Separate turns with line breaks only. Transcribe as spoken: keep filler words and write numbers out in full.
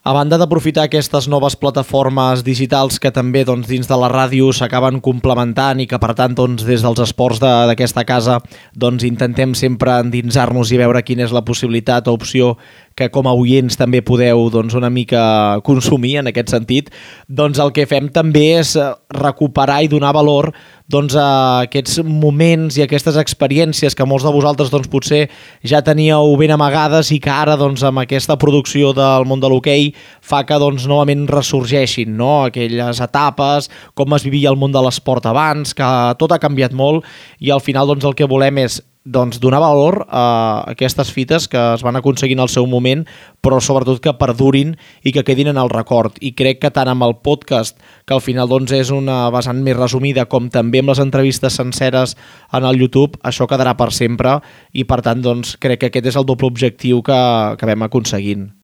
A banda d'aprofitar aquestes noves plataformes digitals que també doncs, dins de la ràdio s'acaben complementant i que per tant doncs, des dels esports d'aquesta casa doncs, intentem sempre endinsar-nos i veure quina és la possibilitat o opció que com a oients també podeu doncs, una mica consumir en aquest sentit, doncs el que fem també és recuperar i donar valor doncs, a aquests moments i aquestes experiències que molts de vosaltres doncs, potser ja teníeu ben amagades i que ara doncs, amb aquesta producció del món de l'hoquei fa que doncs, novament ressorgeixin, no? Aquelles etapes, com es vivia el món de l'esport abans, que tot ha canviat molt i al final doncs, el que volem és doncs, donar valor a aquestes fites que es van aconseguir en el seu moment, però sobretot que perdurin i que quedin en el record. I crec que tant amb el podcast, que al final doncs, és una vessant més resumida, com també amb les entrevistes senceres en el YouTube, això quedarà per sempre i per tant doncs, crec que aquest és el doble objectiu que, que vam aconseguint.